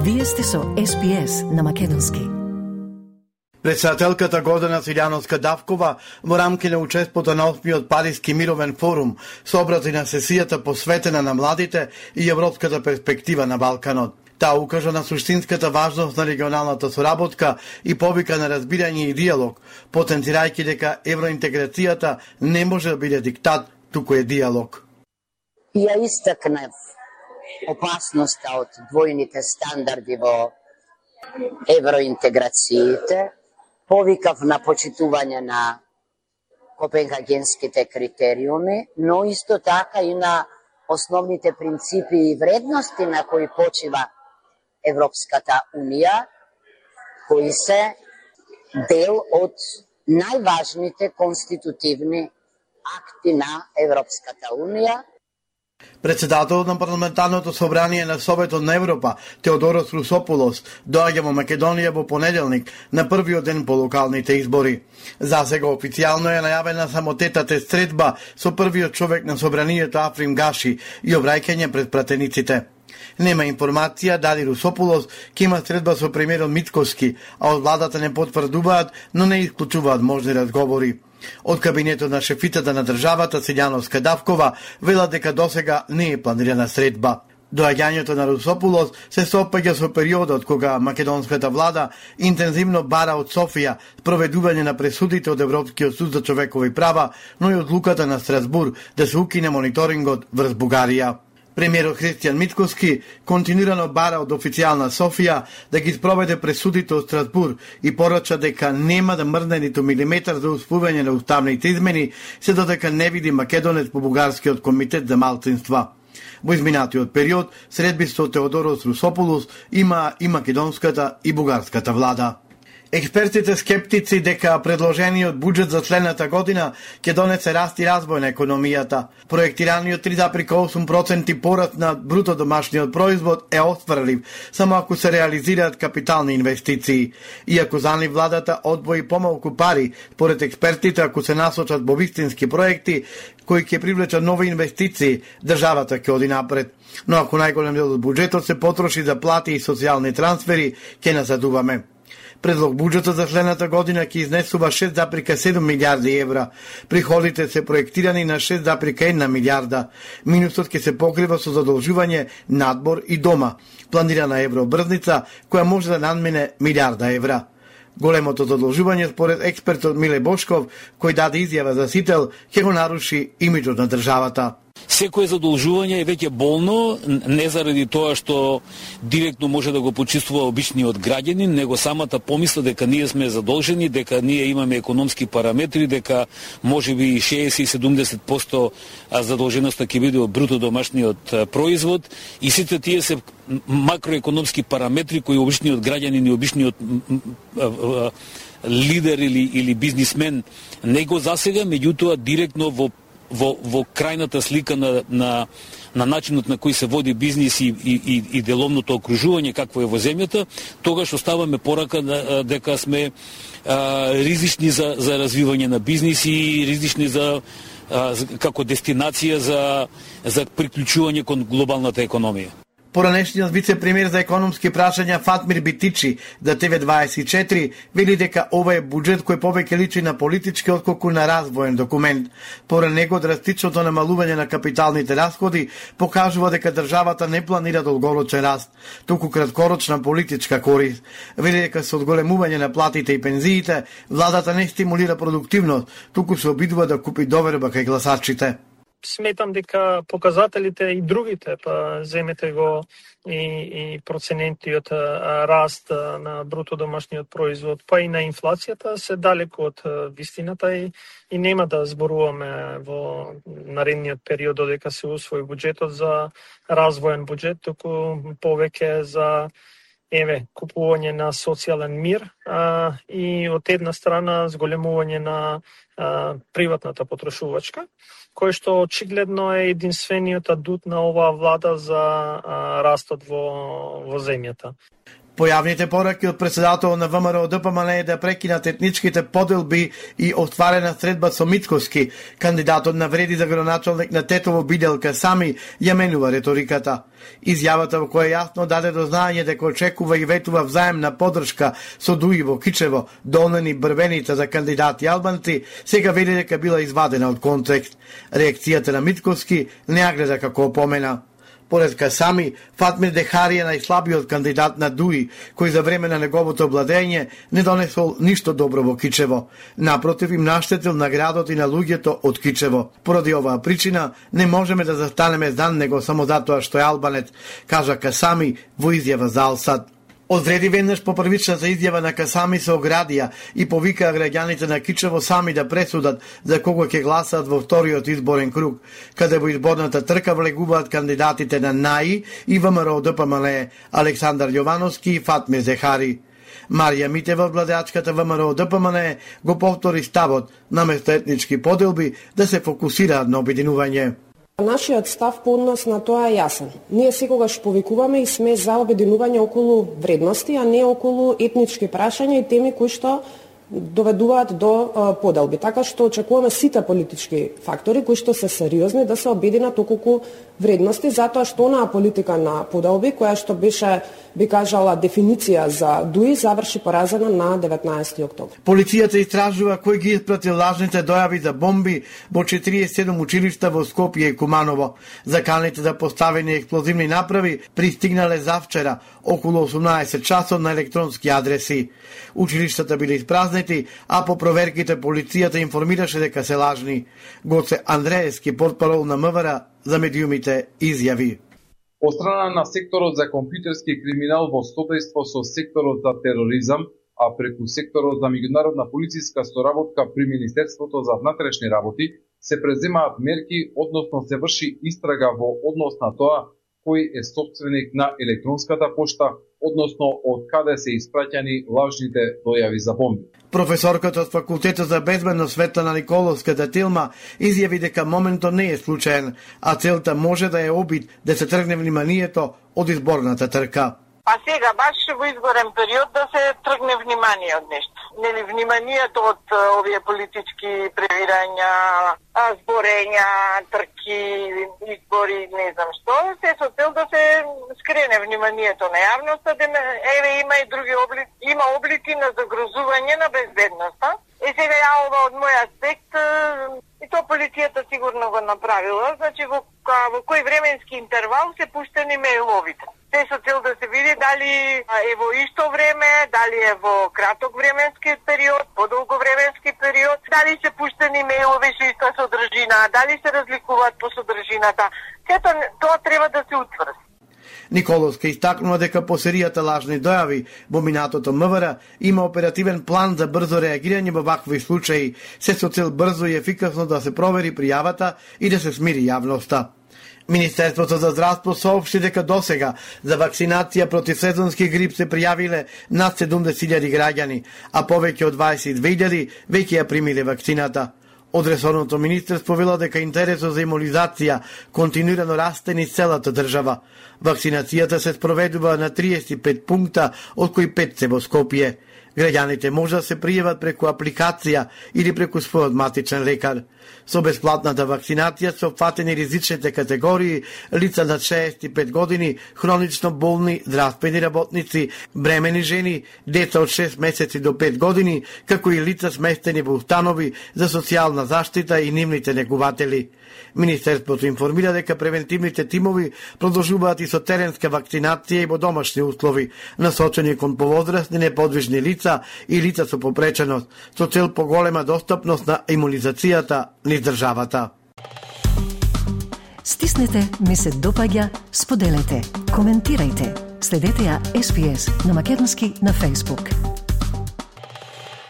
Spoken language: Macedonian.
Вие сте со SPS на македонски. Председателката Гордана Силјановска-Давкова во рамки на учеството на 8-миот Париски мировен форум се обрати на сесијата посветена на младите и европската перспектива на Балканот. Таа укажа на суштинската важност на регионалната соработка и повика на разбирање и диалог, потенцирајќи дека евроинтеграцијата не може да биде диктат, туку е диалог. Ја истакнав опасноста од двојните стандарди во евроинтеграциите, повикав на почитување на копенхагенските критериуми, но исто така и на основните принципи и вредности на кои почива Европската Унија, кои се дел од најважните конститутивни акти на Европската Унија. Председателот на парламентарното собрание на Советот на Европа, Теодорос Русопулос, доаѓа во Македонија во понеделник на првиот ден по локалните избори. Засега официјално е најавена само тетата средба со првиот човек на собранието Африм Гаши и обраќање пред пратениците. Нема информација дали Русопулос ќе има средба со премиерот Мицкоски, а од владата не потврдуваат, но не исклучуваат можни разговори. Од кабинетот на шефитата на државата Силјановска-Давкова велат дека досега не е планирана средба. Доаѓањето на Русопулос се сопаѓа со периодот кога македонската влада интензивно бара од Софија спроведување на пресудите од Европскиот суд за човекови права, но и одлуката на Страсбур да се укине мониторингот врз Бугарија. Премиерот Христијан Мицкоски континуирано бара од официјална Софија да ги спроведе пресудите од Страсбур и порача дека нема да мрдне ниту милиметар за успување на уставните измени, се додека не види македонец по Бугарскиот комитет за малцинства. Во изминатиот период средби со Теодорос Русопулос има и македонската и бугарската влада. Експертите скептици дека предложениот буџет за следната година ќе донесе раст и развој на економијата. Проектираниот 3,8% пораст на бруто домашниот производ е остварлив само ако се реализираат капитални инвестиции. Иако за нив владата одвои помалку пари, според експертите ако се насочат во вистински проекти кои ќе привлечат нови инвестиции, државата ќе оди напред. Но ако најголем дел од буџетот се потроши за плати и социјални трансфери, ќе назадуваме. Предлог буџетот за следната година ќе изнесува 6,7 милијарди евра. Приходите се проектирани на 6,1 милијарда. Минусот ќе се покрива со задолжување, надбор и дома. Планирана евробрзница која може да надмине милијарда евра. Големото задолжување според експертот Миле Бошков, кој даде изјава за Сител, ќе го наруши имиджот на државата. Секое задолжување е веќе болно, не заради тоа што директно може да го почувствува обичниот граѓанин, него самата помисла дека ние сме задолжени, дека ние имаме економски параметри, дека можеби 60-70% задолженоста ќе биде од бруто домашниот производ и сите тие се макроекономски параметри кои обичниот граѓанин и обичниот лидер или бизнисмен не го засега, меѓутоа директно во крајната слика на начинот на кој се води бизнис и деловното окружување какво е во земјата, тогаш оставаме порака дека сме ризични за развивање на бизнис и ризични како дестинација за приклучување кон глобалната економија. Поранешниот вице-премиер за економски прашања Фатмир Битичи за ТВ24 вели дека ова е буџет кој повеќе личи на политички отколку на развоен документ. Поред него драстичното намалување на капиталните расходи покажува дека државата не планира долгорочен раст, туку краткорочна политичка корист. Вели дека со одголемување на платите и пензиите, владата не стимулира продуктивност, туку се обидува да купи доверба кај гласачите. Сметам дека показателите и другите, па земете го и проценентиот раст на бруто домашниот производ, па и на инфлацијата се далеку од вистината и нема да зборуваме во наредниот период додека се усвои буџетот за развоен буџет, туку повеќе за купување на социјален мир и од една страна зголемување на приватната потрошувачка, кој што очигледно е единствениот адут на оваа влада за растот во земјата. Појавните пораки од председател на ВМРО ДПМН е да прекинат етничките поделби и остварена средба со Мицкоски. Кандидатот на вреди за градоначалник на Тетово Биделка Сами ја менува реториката. Изјавата во која јасно даде до знаење дека очекува и ветува взаемна поддршка со Дуи во Кичево, Долнени Брвеница за кандидати албанци, сега вели дека била извадена од контекст. Реакцијата на Мицкоски не ја гледа како опомена. Поред Касами, Фатмир Дехари е најслабиот кандидат на Дуи, кој за време на неговото обладење не донесол ништо добро во Кичево. Напротив, им наштетил на градот и на луѓето од Кичево. Поради оваа причина, не можеме да застанеме за него само затоа што е албанец, кажа Касами во изјава за Алсад. Одреди веднаш по првичната изјава на Касами се оградија и повикаа граѓаните на Кичево сами да пресудат за кого ќе гласаат во вториот изборен круг, каде во изборната трка влегуваат кандидатите на НАИ и ВМРО ДПМН Александар Јовановски и Фатмир Зехари. Марија Митева, владеачката ВМРО ДПМН, го повтори ставот наместо етнички поделби да се фокусираат на обединување. Нашиот став по однос на тоа е јасен. Ние секогаш повикуваме и сме за обединување околу вредности, а не околу етнички прашања и теми кои што доведуваат до поделби. Така што очекуваме сите политички фактори кои што се сериозни да се обединат околу вредности, затоа што онаа политика на поделби која што беше, би кажала, дефиниција за Дуи, заврши поразена на 19 октомври. Полицијата истражува кој ги испратил лажните дојави за бомби во 47 училишта во Скопје и Куманово. Заканите за поставени експлозивни направи пристигнале завчера околу 18 часот на електронски адреси. Училиштата биле испразнети, а по проверките полицијата информираше дека се лажни. Гоце Андреевски, портпарол на МВР, за медиумите изјави. Од страна на секторот за компјутерски криминал во содејство со секторот за тероризам, а преку секторот за меѓународна полициска соработка при Министерството за внатрешни работи, се преземаат мерки, односно се врши истрага во однос на тоа кој е собственик на електронската пошта, односно од каде се испраќани лажните дојави за бомби. Професорката од Факултетот за безбедност Светлана Николовската Тилма изјави дека моментот не е случаен, а целта може да е обид да се тргне вниманието од изборната трка. А сега, баш во изборен период, да се тргне внимание од нешто. Нели, вниманието од овие политички превирања, зборења, трки, избори, не знам што, се со цел да се скрене вниманието на јавноста, еве има и други облици, има облици на загрозување на безбедноста. И сега ја ова од мој аспект, и то полицијата сигурно го направила, значи во кој временски интервал се пуштени мејловите. Се со цел да се види дали е во исто време, дали е во краток временски период, подолго временски период, дали се пуштени мејлови со иста содржина, дали се разликуваат по содржината. Сето тоа треба да се утврди. Николовска истакнува дека по серијата лажни дојави во минатото МВР има оперативен план за брзо реагирање во вакви случаи, се со цел брзо и ефикасно да се провери пријавата и да се смири јавноста. Министерството за здравство соопшти дека досега за вакцинација против сезонски грип се пријавиле над 70.000 граѓани, а повеќе од 22.000 веќе ја примиле вакцината. Од ресорното министерство вела дека интересот за имунизација континуирано расте низ целата држава. Вакцинацијата се спроведува на 35 пункта, од кои 5 се во Скопје. Граѓаните може да се пријават преку апликација или преку својот матичен лекар. Со бесплатната вакцинација се опфатени ризичните категории лица над 65 години, хронично болни, здравствени работници, бремени жени, деца од 6 месеци до 5 години, како и лица сместени во установи за социјална заштита и нивните негуватели. Министерството информира дека превентивните тимови продолжуваат и со теренска вакцинација и во домашни услови, насочени кон повозрасни неподвижни лица и лица со попреченост, со цел поголема достапност на имунизацијата низ државата. Стиснете, ми се допаѓа, споделете, коментирајте. Следете ја SPS на Македонски на Facebook.